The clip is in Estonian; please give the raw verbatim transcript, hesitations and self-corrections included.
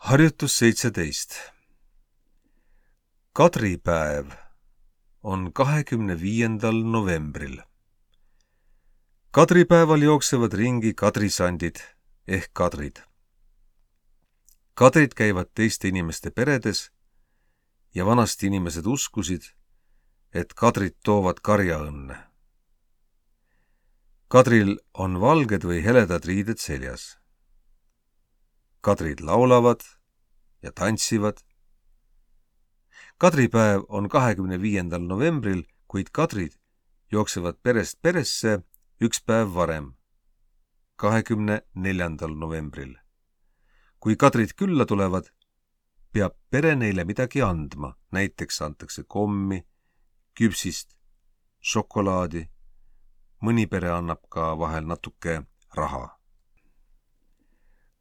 Harjutus seitseteist. Kadripäev on kahekümne viiendal novembril. Kadripäeval jooksevad ringi kadrisandid ehk kadrid. Kadrid käivad teiste inimeste peredes ja vanasti inimesed uskusid, et kadrid toovad karjaõnne. Kadril on valged või heledad riided seljas. Kadrid laulavad ja tantsivad. Kadripäev on kahekümne viiendal novembril, kuid kadrid jooksevad perest peresse üks päev varem, kahekümne neljandal novembril. Kui kadrid külla tulevad, peab pere neile midagi andma, näiteks antakse kommi, küpsist, šokolaadi, mõni pere annab ka vahel natuke raha.